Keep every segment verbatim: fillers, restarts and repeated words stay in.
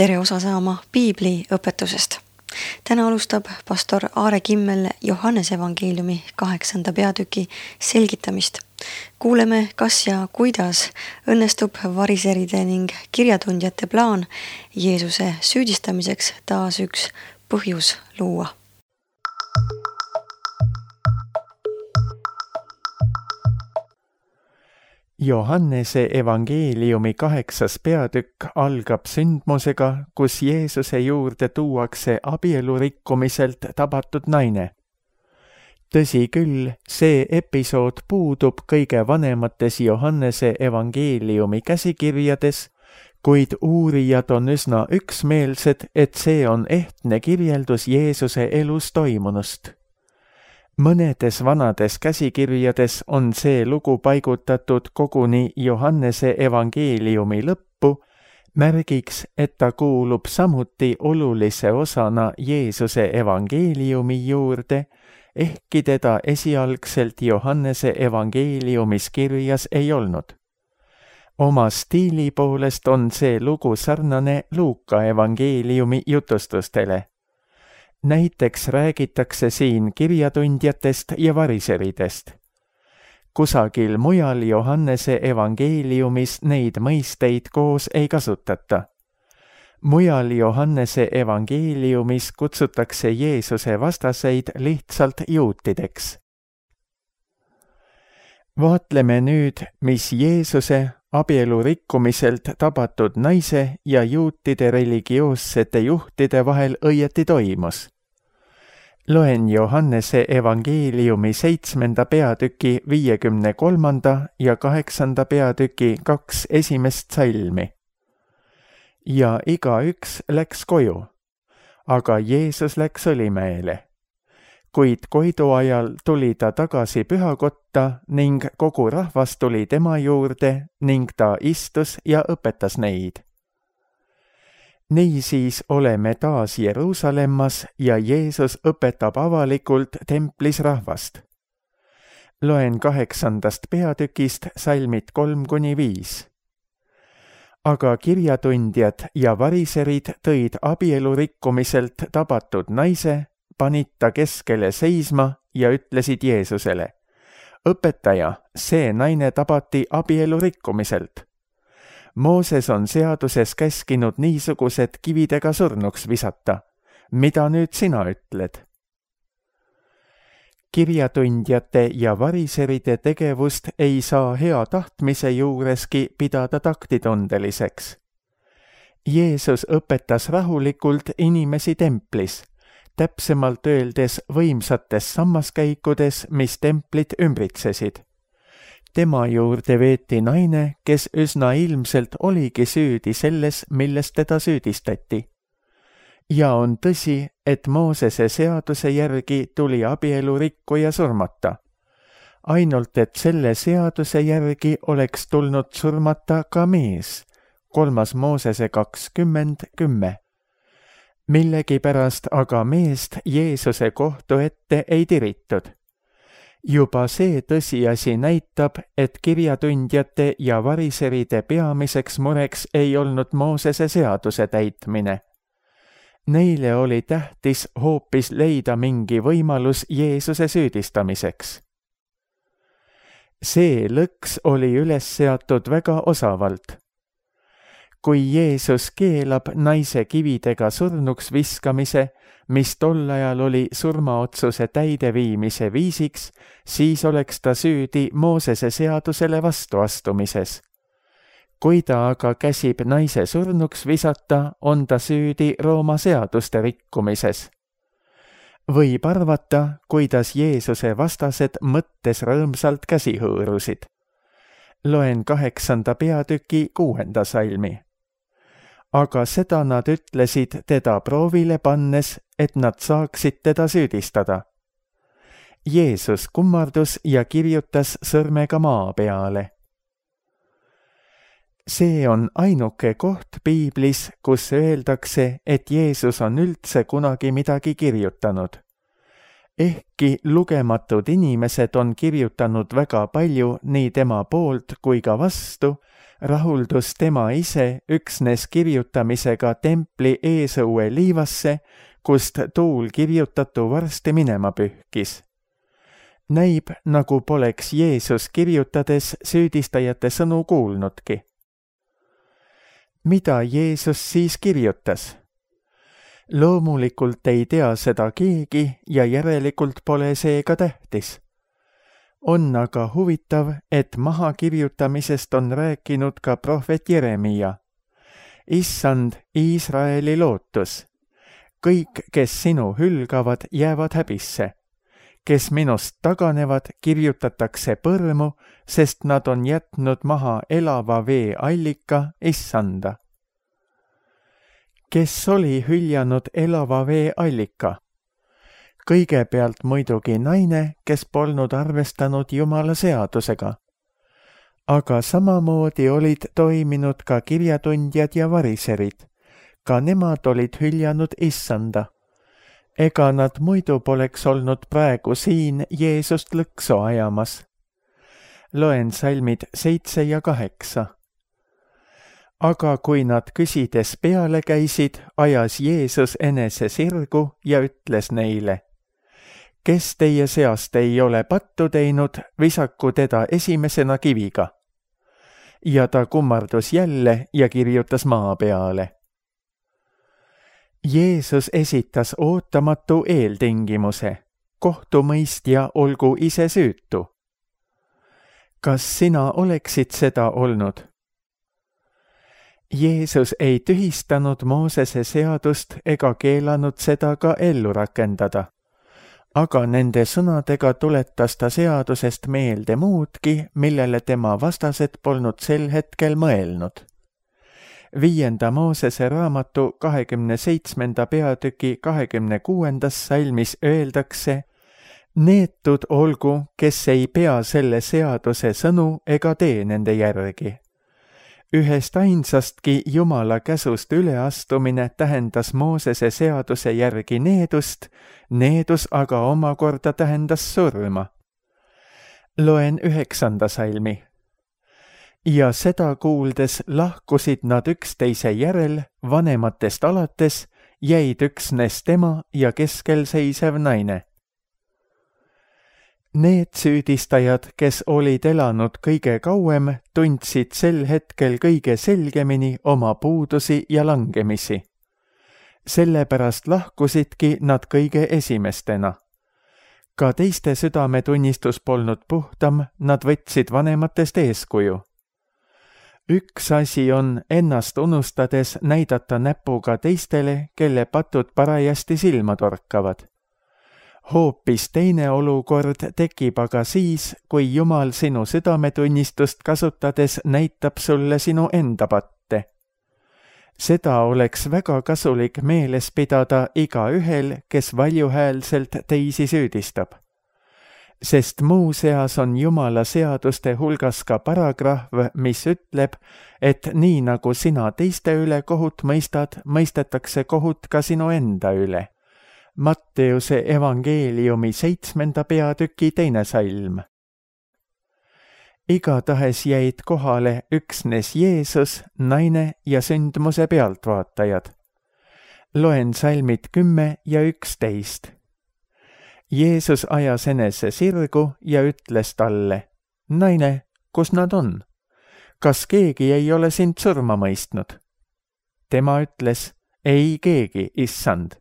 tere osa saama Piibli õpetusest. Täna alustab pastor Aare Kimmel Johannese evangeeliumi kaheksanda peatüki selgitamist. Kuuleme, kas ja kuidas õnnestub variseride ning kirjatundjate plaan Jeesuse süüdistamiseks taas üks põhjus luua. Johannese evangeeliumi kaheksas peatükk algab sündmusega, kus Jeesuse juurde tuuakse abielurikkumiselt tabatud naine. Tõsi küll, see episood puudub kõige vanemates Johannese evangeeliumi käsikirjades, kuid uurijad on üsna üksmeelsed, et see on ehtne kirjeldus Jeesuse elus toimunust. Mõnedes vanades käsikirjades on see lugu paigutatud koguni Johannese evangeeliumi lõppu, märgiks, et ta kuulub samuti olulise osana Jeesuse evangeeliumi juurde, ehkki teda esialgselt Johannese evangeeliumis kirjas ei olnud. Oma stiili poolest on see lugu sarnane Luuka evangeeliumi jutustustele. Näiteks räägitakse siin kirjatundjatest ja variseridest. Kusagil mujal Johannese evangeeliumis neid mõisteid koos ei kasutata. Mujal Johannese evangeeliumis kutsutakse Jeesuse vastaseid lihtsalt juutideks. Vaatleme nüüd, mis Jeesuse abielurikkumiselt tabatud naise ja juutide religioossete juhtide vahel õieti toimus. Loen Johannese evangeeliumi seitsmenda peatüki viiekümne kolmanda ja kaheksanda peatüki kaks esimest salmi. Ja igaüks läks koju, aga Jeesus läks Õlimäele. Kuid koidu ajal tuli ta tagasi pühakotta ning kogu rahvas tuli tema juurde ning ta istus ja õpetas neid. Niisiis oleme taas Jeruusalemmas ja Jeesus õpetab avalikult templis rahvast. Loen kaheksandast peatükist salmid kolm kuni viis. Aga kirjatundjad ja variserid tõid abielurikkumiselt tabatud naise, panid ta keskele seisma ja ütlesid Jeesusele: Õpetaja, see naine tabati abielurikkumiselt. Mooses on seaduses käskinud niisugused kividega surnuks visata. Mida nüüd sina ütled? Kirjatundjate ja variseride tegevust ei saa hea tahtmise juureski pidada taktitundeliseks. Jeesus õpetas rahulikult inimesi templis, täpsemalt öeldes võimsates sammaskäikudes, mis templit ümbritsesid. Tema juurde veeti naine, kes üsna ilmselt oligi süüdi selles, milles teda süüdistati. Ja on tõsi, et Moosese seaduse järgi tuli abielurikkuja surmata. Ainult et selle seaduse järgi oleks tulnud surmata ka mees, kolmas Moosese kakskümmend kümme. Millegipärast aga meest Jeesuse kohtu ette ei tiritud. Juba see tõsiasi näitab, et kirjatundjate ja variseride peamiseks mureks ei olnud Moosese seaduse täitmine. Neile oli tähtis hoopis leida mingi võimalus Jeesuse süüdistamiseks. See lõks oli üles seatud väga osavalt. Kui Jeesus keelab naise kividega surnuks viskamise, mis tol ajal oli surmaotsuse täideviimise viisiks, siis oleks ta süüdi Moosese seadusele vastuastumises. Kui ta aga käsib naise surnuks visata, on ta süüdi Rooma seaduste rikkumises. Võib arvata, kuidas Jeesuse vastased mõttes rõõmsalt käsi hõõrusid. Loen kaheksanda peatüki kuuenda salmi. Aga seda nad ütlesid teda proovile pannes, et nad saaksid teda süüdistada. Jeesus kummardus ja kirjutas sõrmega maa peale. See on ainuke koht Piiblis, kus öeldakse, et Jeesus on üldse kunagi midagi kirjutanud. Ehkki lugematud inimesed on kirjutanud väga palju nii tema poolt kui ka vastu, rahuldus tema ise üksnes kirjutamisega templi eesõue liivasse, kust tuul kirjutatu varsti minema pühkis. Näib, nagu poleks Jeesus kirjutades süüdistajate sõnu kuulnudki. Mida Jeesus siis kirjutas? Loomulikult ei tea seda keegi ja järelikult pole see ka tähtis. On aga huvitav, et mahakirjutamisest on rääkinud ka prohvet Jeremia. Issand, Iisraeli lootus. Kõik, kes sinu hülgavad, jäävad häbisse. Kes minust taganevad, kirjutatakse põrmu, sest nad on jätnud maha elava vee allika Issanda. Kes oli hüljanud elava vee allika? Kõigepealt muidugi naine, kes polnud arvestanud Jumala seadusega. Aga samamoodi olid toiminud ka kirjatundjad ja variserid. Ka nemad olid hüljanud Issanda. Ega nad muidu poleks olnud praegu siin Jeesust lõksu ajamas. Loen salmid seitse ja kaheksa. Aga kui nad küsides peale käisid, ajas Jeesus enese sirgu ja ütles neile: kes teie seast ei ole pattu teinud, visaku teda esimesena kiviga. Ja ta kummardus jälle ja kirjutas maa peale. Jeesus esitas ootamatu eeltingimuse. Kohtumõistja olgu ise süütu. Kas sina oleksid seda olnud? Jeesus ei tühistanud Moosese seadust ega keelanud seda ka ellu rakendada. Aga nende sõnadega tuletas ta seadusest meelde muudki, millele tema vastased polnud sel hetkel mõelnud. Viienda Moosese raamatu kahekümne seitsmenda peatüki kahekümne kuuendas salmis öeldakse: neetud olgu, kes ei pea selle seaduse sõnu ega tee nende järgi. Ühest ainsastki Jumala käsust üleastumine tähendas Moosese seaduse järgi needust, needus aga omakorda tähendas surma. Loen üheksanda salmi. Ja seda kuuldes lahkusid nad üksteise järel, vanematest alates, jäid üksnes tema ja keskel seisev naine. Need süüdistajad, kes olid elanud kõige kauem, tundsid sel hetkel kõige selgemini oma puudusi ja langemisi. Sellepärast lahkusidki nad kõige esimestena. Ka teiste südametunnistus polnud puhtam, nad võtsid vanematest eeskuju. Üks asi on ennast unustades näidata näpuga teistele, kelle patud parajasti silma torkavad. Hoopis teine olukord tekib aga siis, kui Jumal sinu südametunnistust kasutades näitab sulle sinu enda patte. Seda oleks väga kasulik meeles pidada igaühel, kes valjuhäälselt teisi süüdistab. Sest muu seas on Jumala seaduste hulgas ka paragrahv, mis ütleb, et nii nagu sina teiste üle kohut mõistad, mõistetakse kohut ka sinu enda üle. Matteuse evangeeliumi seitsmenda peatüki teine salm. Igatahes jäid kohale üksnes Jeesus, naine ja sündmuse pealtvaatajad. Loen salmid kümme ja üksteist. Jeesus ajas enese sirgu ja ütles talle: naine, kus nad on? Kas keegi ei ole sind surma mõistnud? Tema ütles: ei keegi, issand.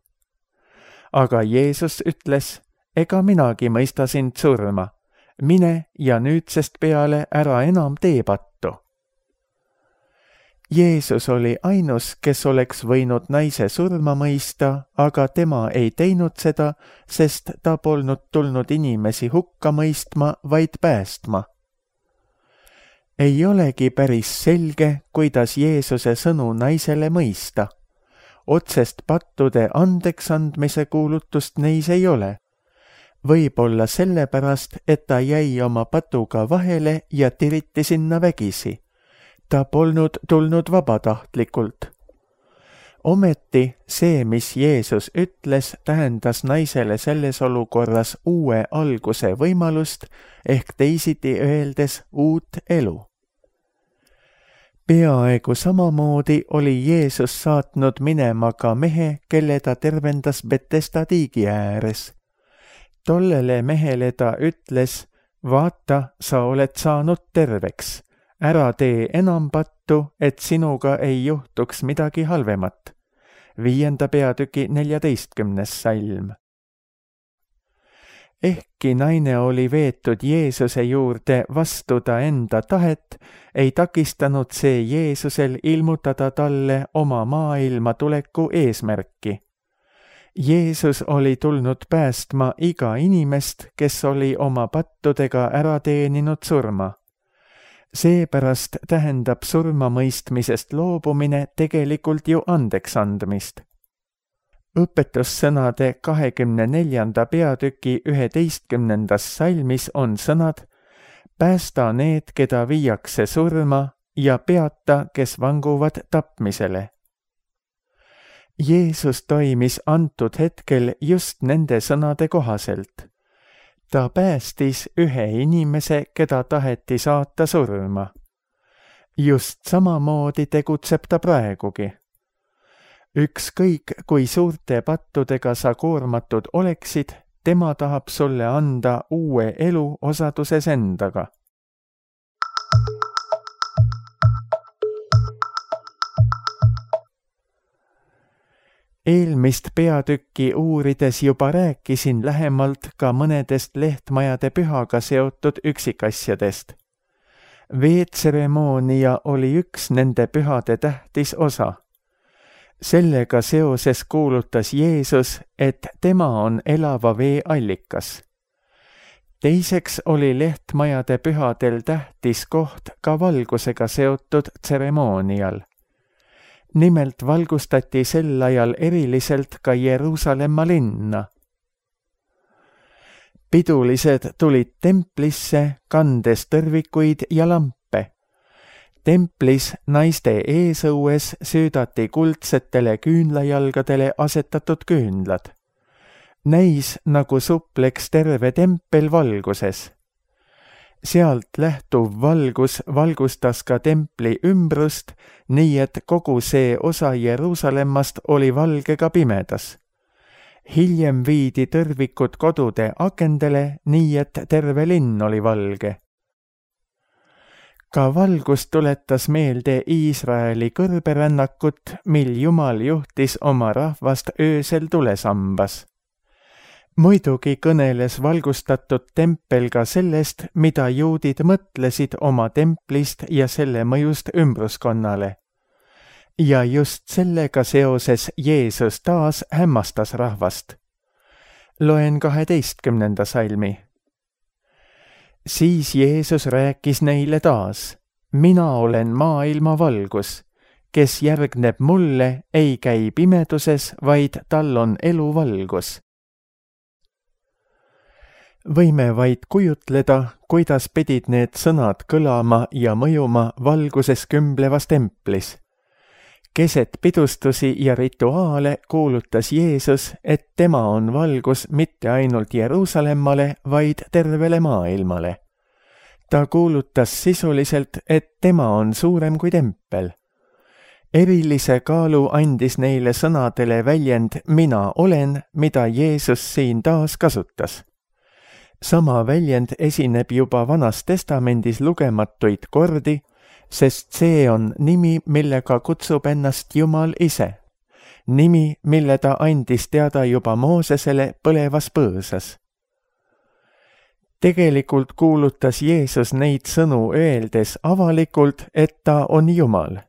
Aga Jeesus ütles: ega minagi mõista sind surma. Mine ja nüüdsest peale ära enam tee pattu. Jeesus oli ainus, kes oleks võinud naise surma mõista, aga tema ei teinud seda, sest ta polnud tulnud inimesi hukka mõistma, vaid päästma. Ei olegi päris selge, kuidas Jeesuse sõnu naisele mõista. Otsest pattude andeks andmise kuulutust neis ei ole. Võib-olla sellepärast, et ta jäi oma patuga vahele ja tiriti sinna vägisi. Ta polnud tulnud vabatahtlikult. Ometi see, mis Jeesus ütles, tähendas naisele selles olukorras uue alguse võimalust ehk teisiti öeldes uut elu. peaaegu samamoodi oli Jeesus saatnud minema ka mehe, kelle ta tervendas Betesda tiigi ääres. Tollele mehele ta ütles, vaata, sa oled saanud terveks, ära tee enam pattu, et sinuga ei juhtuks midagi halvemat. Viienda peatüki neljateistkümnes salm. Ehkki naine oli veetud Jeesuse juurde vastu ta enda tahet, ei takistanud see Jeesusel ilmutada talle oma maailma tuleku eesmärki. Jeesus oli tulnud päästma iga inimest, kes oli oma pattudega ära teeninud surma. Seepärast tähendab surmamõistmisest loobumine tegelikult ju andeks andmist. Õpetussõnade kahekümne neljanda peatüki üheteistkümnendas salmis on sõnad: päästa need, keda viiakse surma, ja peata, kes vanguvad tapmisele. Jeesus toimis antud hetkel just nende sõnade kohaselt. Ta päästis ühe inimese, keda taheti saata surma. Just samamoodi tegutseb ta praegugi. Ükskõik, kui suurte pattudega sa koormatud oleksid, tema tahab sulle anda uue elu osaduses endaga. Eelmist peatükki uurides juba rääkisin lähemalt ka mõnedest lehtmajade pühaga seotud üksikasjadest. Veetseremoonia oli üks nende pühade tähtis osa. Sellega seoses kuulutas Jeesus, et tema on elava vee allikas. Teiseks oli lehtmajade pühadel tähtis koht ka valgusega seotud tseremoonial. Nimelt valgustati sel ajal eriliselt ka Jeruusalemma linna. Pidulised tulid templisse, kandes tõrvikuid ja lampe. Templis naiste eesõues süüdati kuldsetele küünlajalgadele asetatud küünlad. Näis, nagu supleks terve tempel valguses. Sealt lähtuv valgus valgustas ka templi ümbrust, nii et kogu see osa Jeruusalemmast oli valge ka pimedas. Hiljem viidi tõrvikud kodude akendele, nii et terve linn oli valge. Ka valgus tuletas meelde Iisraeli kõrberännakut, mil Jumal juhtis oma rahvast öösel tulesambas. Muidugi kõneles valgustatud tempel ka sellest, mida juudid mõtlesid oma templist ja selle mõjust ümbruskonnale. Ja just sellega seoses Jeesus taas hämmastas rahvast. Loen kaheteistkümnenda salmi. Siis Jeesus rääkis neile taas: mina olen maailma valgus, kes järgneb mulle, ei käi pimeduses, vaid tal on eluvalgus. Võime vaid kujutleda, kuidas pidid need sõnad kõlama ja mõjuma valguses kümblevas templis. Keset pidustusi ja rituaale kuulutas Jeesus, et tema on valgus mitte ainult Jeruusalemmale, vaid tervele maailmale. Ta kuulutas sisuliselt, et tema on suurem kui tempel. Erilise kaalu andis neile sõnadele väljend mina olen, mida Jeesus siin taas kasutas. Sama väljend esineb juba Vanas Testamendis lugematuid kordi, sest see on nimi, millega kutsub ennast Jumal ise. Nimi, mille ta andis teada juba Moosesele põlevas põõsas. Tegelikult kuulutas Jeesus neid sõnu öeldes avalikult, et ta on Jumal.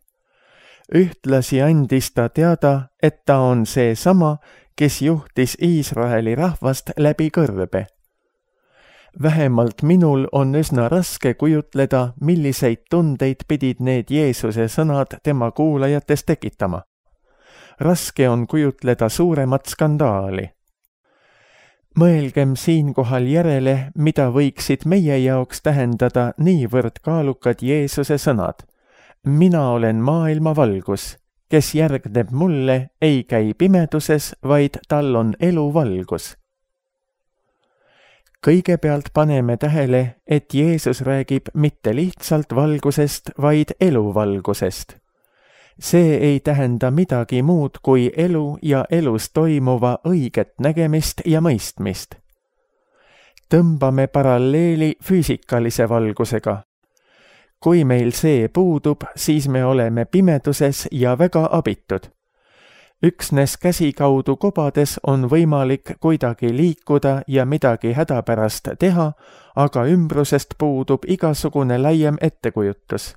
Ühtlasi andis ta teada, et ta on see sama, kes juhtis Iisraeli rahvast läbi kõrbe. Vähemalt minul on üsna raske kujutleda, milliseid tundeid pidid need Jeesuse sõnad tema kuulajates tekitama. Raske on kujutleda suuremat skandaali. Mõelgem siinkohal järele, mida võiksid meie jaoks tähendada niivõrd kaalukad Jeesuse sõnad. Mina olen maailma valgus, kes järgneb mulle, ei käi pimeduses, vaid tal on eluvalgus. kõigepealt paneme tähele, et Jeesus räägib mitte lihtsalt valgusest, vaid eluvalgusest. See ei tähenda midagi muud kui elu ja elus toimuva õiget nägemist ja mõistmist. Tõmbame paralleeli füüsikalise valgusega. Kui meil see puudub, siis me oleme pimeduses ja väga abitud. Üksnes käsikaudu kobades on võimalik kuidagi liikuda ja midagi hädapärast teha, aga ümbrusest puudub igasugune laiem ettekujutus.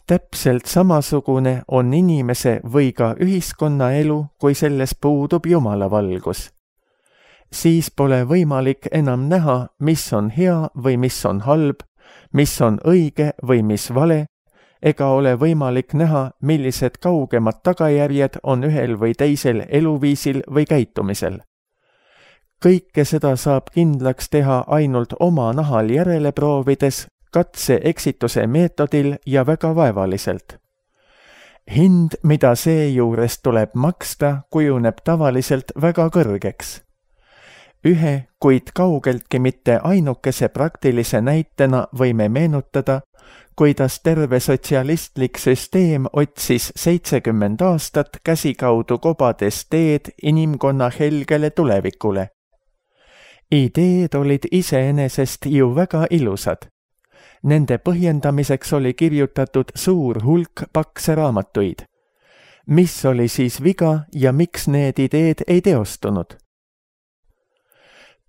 Täpselt samasugune on inimese või ka ühiskonna elu, kui selles puudub Jumala valgus. Siis pole võimalik enam näha, mis on hea või mis on halb, mis on õige või mis vale, ega ole võimalik näha, millised kaugemad tagajärjed on ühel või teisel eluviisil või käitumisel. Kõike seda saab kindlaks teha ainult oma nahal järele proovides, katse-eksituse meetodil ja väga vaevaliselt. Hind, mida seejuures tuleb maksta, kujuneb tavaliselt väga kõrgeks. Ühe, kuid kaugeltki mitte ainukese praktilise näitena võime meenutada, kuidas terve sotsialistlik süsteem otsis seitsekümmend aastat käsikaudu kobades teed inimkonna helgele tulevikule. Ideed olid iseenesest ju väga ilusad. Nende põhjendamiseks oli kirjutatud suur hulk pakse raamatuid. Mis oli siis viga ja miks need ideed ei teostunud?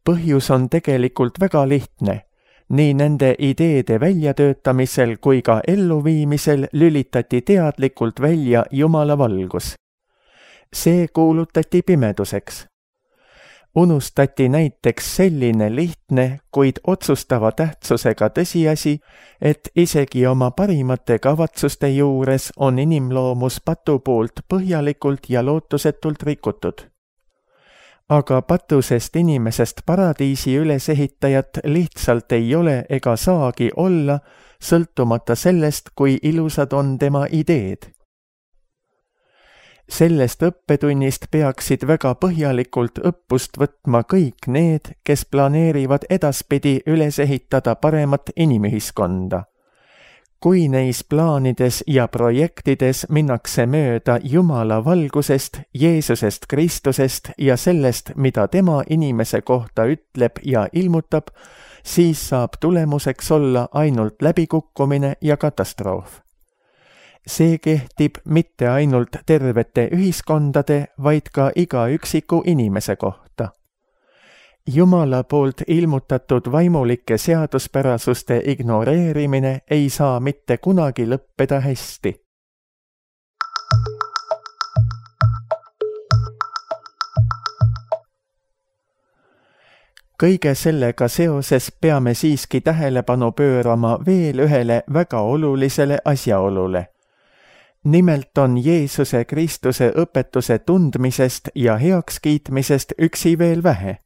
Põhjus on tegelikult väga lihtne. Nii nende ideede väljatöötamisel kui ka elluviimisel lülitati teadlikult välja Jumala valgus. See kuulutati pimeduseks. Unustati näiteks selline lihtne, kuid otsustava tähtsusega tõsiasi, et isegi oma parimate kavatsuste juures on inimloomus patu poolt põhjalikult ja lootusetult rikutud. Aga patusest inimesest paradiisi ülesehitajat lihtsalt ei ole ega saagi olla, sõltumata sellest, kui ilusad on tema ideed. Sellest õppetunnist peaksid väga põhjalikult õppust võtma kõik need, kes planeerivad edaspidi üles ehitada paremat inimühiskonda. Kui neis plaanides ja projektides minnakse mööda Jumala valgusest, Jeesusest Kristusest ja sellest, mida tema inimese kohta ütleb ja ilmutab, siis saab tulemuseks olla ainult läbikukkumine ja katastroof. See kehtib mitte ainult tervete ühiskondade, vaid ka iga üksiku inimese kohta. Jumala poolt ilmutatud vaimulike seaduspärasuste ignoreerimine ei saa mitte kunagi lõppeda hästi. Kõige sellega seoses peame siiski tähelepanu pöörama veel ühele väga olulisele asjaolule. Nimelt on Jeesuse Kristuse õpetuse tundmisest ja heakskiitmisest üksi veel vähe.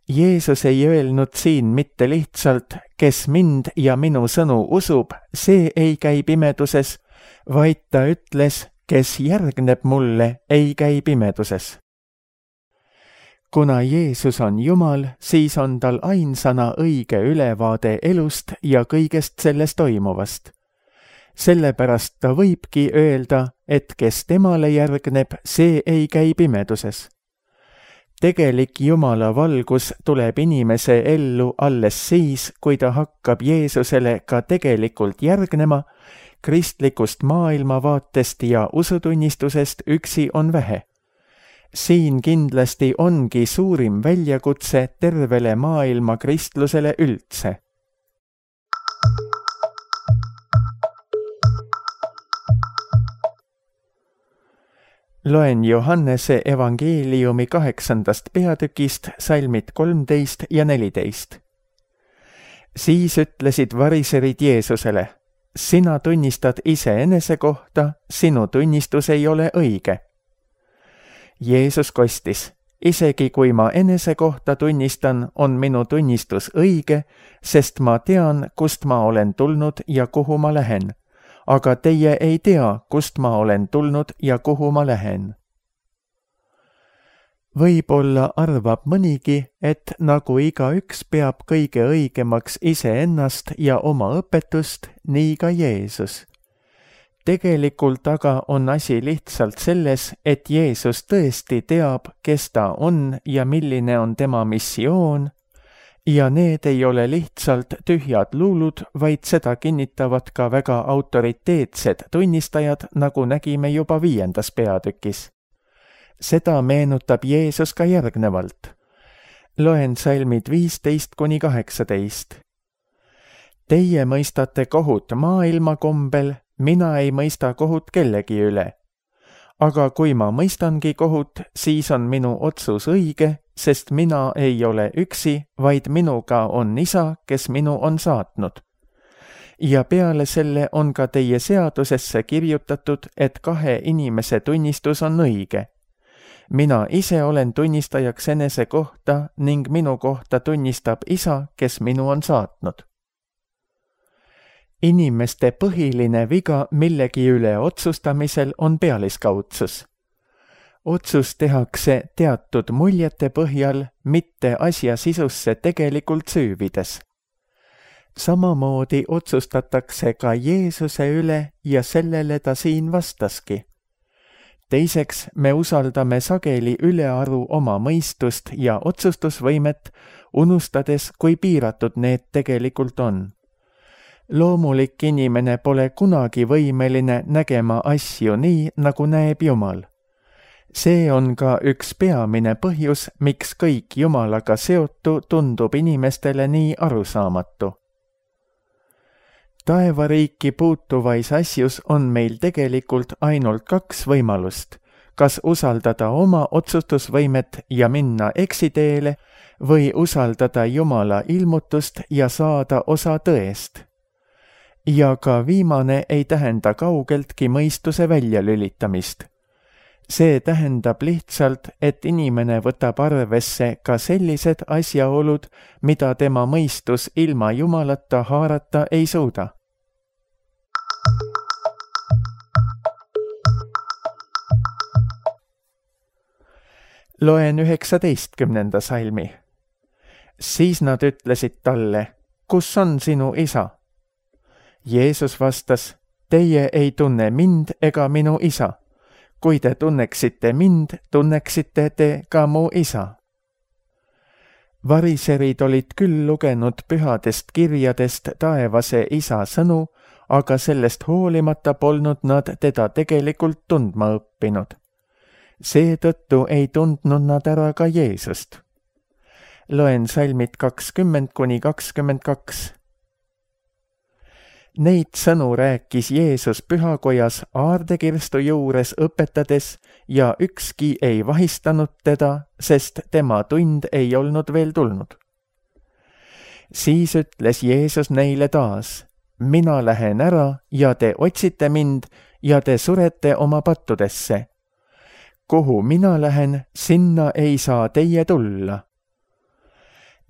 Jeesus ei öelnud siin mitte lihtsalt, kes mind ja minu sõnu usub, see ei käi pimeduses, vaid ta ütles, kes järgneb mulle, ei käi pimeduses. Kuna Jeesus on Jumal, siis on tal ainsana õige ülevaade elust ja kõigest selles toimuvast. Sellepärast ta võibki öelda, et kes temale järgneb, see ei käi pimeduses. Tegelik Jumala valgus tuleb inimese ellu alles siis, kui ta hakkab Jeesusele ka tegelikult järgnema, kristlikust maailmavaatest ja usutunnistusest üksi on vähe. Siin kindlasti ongi suurim väljakutse tervele maailma kristlusele üldse. Loen Johannese evangeeliumi kaheksandast peatükist salmid kolmteist ja neliteist. Siis ütlesid variserid Jeesusele, sina tunnistad iseenese kohta, sinu tunnistus ei ole õige. Jeesus kostis, isegi kui ma enese kohta tunnistan, on minu tunnistus õige, sest ma tean, kust ma olen tulnud ja kuhu ma lähen. Aga teie ei tea, kust ma olen tulnud ja kuhu ma lähen. võib-olla arvab mõnigi, et nagu igaüks peab kõige õigemaks iseennast ja oma õpetust, nii ka Jeesus. Tegelikult aga on asi lihtsalt selles, et Jeesus tõesti teab, kes ta on ja milline on tema missioon, ja need ei ole lihtsalt tühjad luulud, vaid seda kinnitavad ka väga autoriteetsed tunnistajad, nagu nägime juba viiendas peatükis. Seda meenutab Jeesus ka järgnevalt. Loen salmid viisteist kuni kaheksateist. Teie mõistate kohut maailma kombel, mina ei mõista kohut kellegi üle. Aga kui ma mõistangi kohut, siis on minu otsus õige, sest mina ei ole üksi, vaid minuga on Isa, kes minu on saatnud. Ja peale selle on ka teie seadusesse kirjutatud, et kahe inimese tunnistus on õige. Mina ise olen tunnistajaks enese kohta ning minu kohta tunnistab Isa, kes minu on saatnud. Inimeste põhiline viga millegi üle otsustamisel on pealiskaudsus. Otsus tehakse teatud muljete põhjal, mitte asja sisusse tegelikult süüvides. Samamoodi otsustatakse ka Jeesuse üle ja sellele ta siin vastaski. Teiseks, me usaldame sageli ülearu oma mõistust ja otsustusvõimet, unustades, kui piiratud need tegelikult on. Loomulik inimene pole kunagi võimeline nägema asju nii, nagu näeb Jumal. See on ka üks peamine põhjus, miks kõik Jumalaga seotu tundub inimestele nii arusaamatu. Taevariiki puutuvais asjus on meil tegelikult ainult kaks võimalust, kas usaldada oma otsustusvõimet ja minna eksiteele või usaldada Jumala ilmutust ja saada osa tõest. Ja ka viimane ei tähenda kaugeltki mõistuse väljalülitamist. See tähendab lihtsalt, et inimene võtab arvesse ka sellised asjaolud, mida tema mõistus ilma Jumalata haarata ei suuda. Loen üheksateistkümnenda salmi. Siis nad ütlesid talle, kus on sinu isa? Jeesus vastas, teie ei tunne mind ega minu isa. Kui te tunneksite mind, tunneksite te ka mu isa. Variserid olid küll lugenud pühadest kirjadest taevase isa sõnu, aga sellest hoolimata polnud nad teda tegelikult tundma õppinud. Seetõttu ei tundnud nad ära ka Jeesust. Loen salmid kakskümmend kuni kakskümmend kaks. Neid sõnu rääkis Jeesus pühakojas aardekirstu juures õpetades ja ükski ei vahistanud teda, sest tema tund ei olnud veel tulnud. Siis ütles Jeesus neile taas, mina lähen ära ja te otsite mind ja te surete oma pattudesse. Kuhu mina lähen, sinna ei saa teie tulla.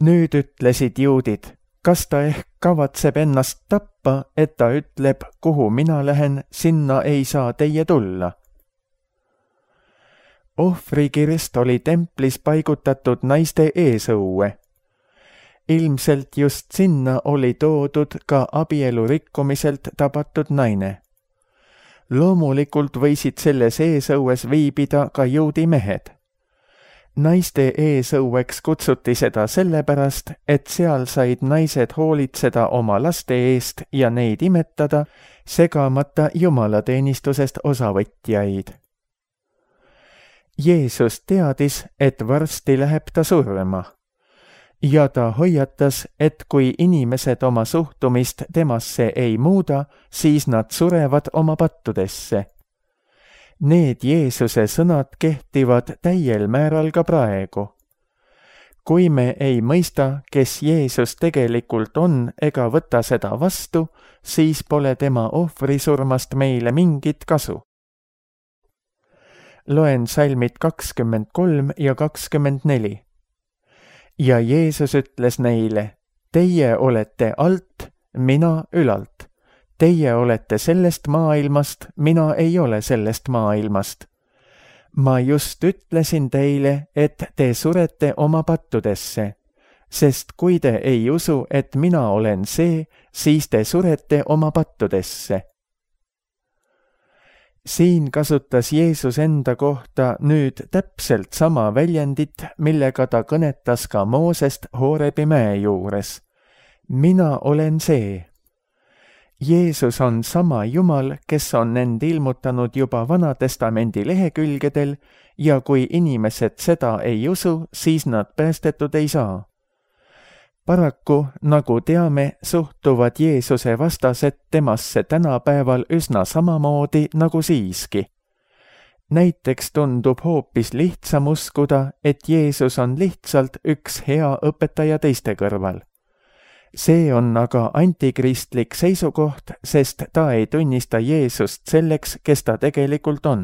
Nüüd ütlesid juudid, kas ta ehk kavatseb ennast tappa, et ta ütleb, kuhu mina lähen, sinna ei saa teie tulla. Ohvrikirst oli templis paigutatud naiste eesõue. Ilmselt just sinna oli toodud ka abielu rikkumiselt tabatud naine. Loomulikult võisid selles eesõues viibida ka juudi mehed. Naiste eesõueks kutsuti seda sellepärast, et seal said naised hoolitseda oma laste eest ja neid imetada, segamata jumalateenistusest osavõtjaid. Jeesus teadis, et varsti läheb ta surma. Ja ta hoiatas, et kui inimesed oma suhtumist temasse ei muuda, siis nad surevad oma pattudesse. Need Jeesuse sõnad kehtivad täiel määral ka praegu. Kui me ei mõista, kes Jeesus tegelikult on ega võta seda vastu, siis pole tema ohvrisurmast meile mingit kasu. Loen salmid kakskümmend kolm ja kakskümmend neli. Ja Jeesus ütles neile, teie olete alt, mina ülalt. Teie olete sellest maailmast, mina ei ole sellest maailmast. ma just ütlesin teile, et te surete oma pattudesse, sest kui te ei usu, et mina olen see, siis te surete oma pattudesse. Siin kasutas Jeesus enda kohta nüüd täpselt sama väljendit, millega ta kõnetas ka Moosest Hoorebi mäe juures. Mina olen see. Jeesus on sama Jumal, kes on end ilmutanud juba Vanatestamendi lehekülgedel ja kui inimesed seda ei usu, siis nad päästetud ei saa. Paraku, nagu teame, suhtuvad Jeesuse vastased temasse tänapäeval üsna samamoodi nagu siiski. Näiteks tundub hoopis lihtsam uskuda, et Jeesus on lihtsalt üks hea õpetaja teiste kõrval. See on aga antikristlik seisukoht, sest ta ei tunnista Jeesust selleks, kes ta tegelikult on.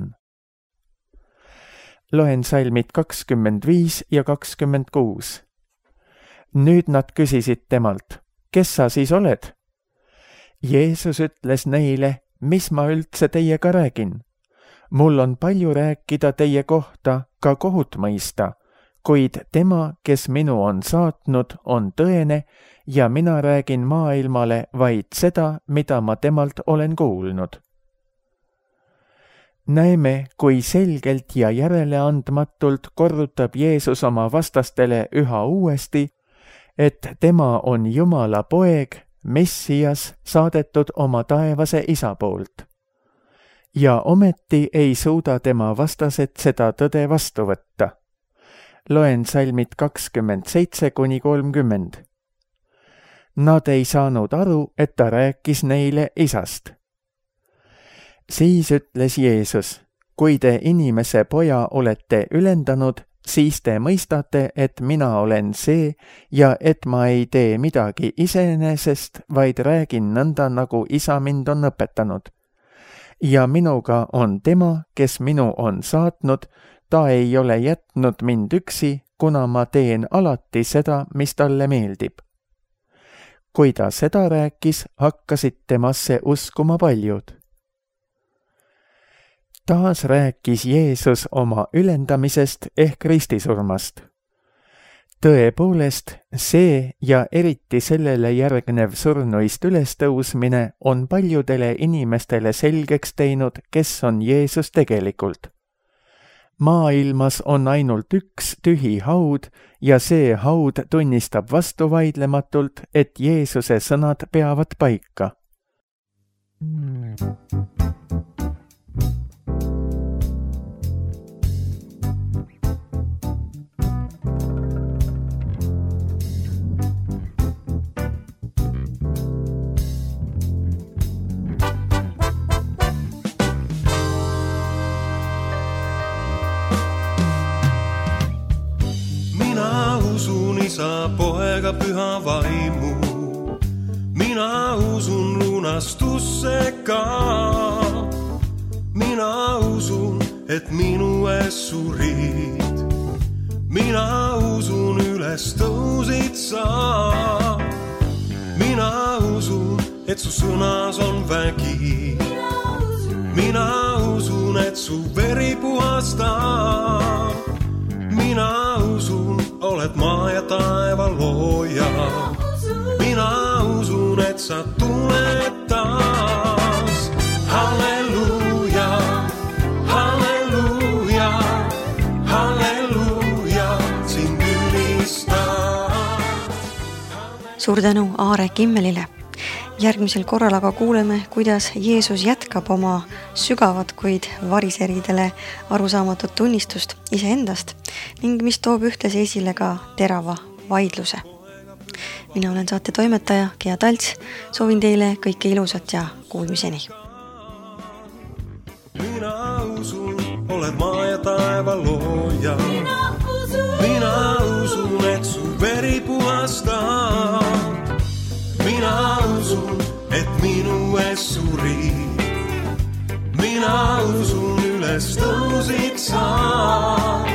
Loen salmid kakskümmend viis ja kakskümmend kuus. Nüüd nad küsisid temalt, kes sa siis oled? Jeesus ütles neile, mis ma üldse teiega räägin. Mul on palju rääkida teie kohta, ka kohut mõista, kuid tema, kes minu on saatnud, on tõene ja mina räägin maailmale vaid seda, mida ma temalt olen kuulnud. Näeme, kui selgelt ja järeleandmatult korrutab Jeesus oma vastastele üha uuesti, et tema on Jumala poeg, Messias, saadetud oma taevase isa poolt. Ja ometi ei suuda tema vastased seda tõde vastu võtta. Loen salmid kakskümmend seitse kuni kolmkümmend. Nad ei saanud aru, et ta rääkis neile isast. Siis ütles Jeesus, kui te inimese poja olete ülendanud, siis te mõistate, et mina olen see ja et ma ei tee midagi iseenesest, vaid räägin nõnda, nagu isa mind on õpetanud. Ja minuga on tema, kes minu on saatnud, ta ei ole jätnud mind üksi, kuna ma teen alati seda, mis talle meeldib. Kui ta seda rääkis, hakkasid temasse uskuma paljud. Taas rääkis Jeesus oma ülendamisest ehk ristisurmast. Tõepoolest, see ja eriti sellele järgnev surnuist ülestõusmine on paljudele inimestele selgeks teinud, kes on Jeesus tegelikult. Maailmas on ainult üks tühi haud ja see haud tunnistab vastuvaidlematult, et Jeesuse sõnad peavad paika. Isa, poega, püha vaimu, mina usun lunastusse ka. Mina usun, et minu ees surid. Mina usun, üles tõusid sa. Mina usun, et su sõnas on vägi. Mina usun, et su veri puhastab. Mina usun, oled maa ja taeva looja. Mina usun, et sa tuled taas. Halleluuja, halleluuja, halleluuja, sind ülistab. Suur tänu Aare Kimmelile. Järgmisel korral aga kuuleme, kuidas Jeesus jätkab oma sügavat, kuid variseridele arusaamatut tunnistust iseendast ning mis toob ühtlasi esile ka terava vaidluse. Mina olen saate toimetaja Gea Talts, soovin teile kõike ilusat ja kuulmiseni. Mina usun, oled maa ja taeva looja. Mina usun, et su veri puhastab. Mina usun, et minu ees surid. Mina usun, üles tõusid sa.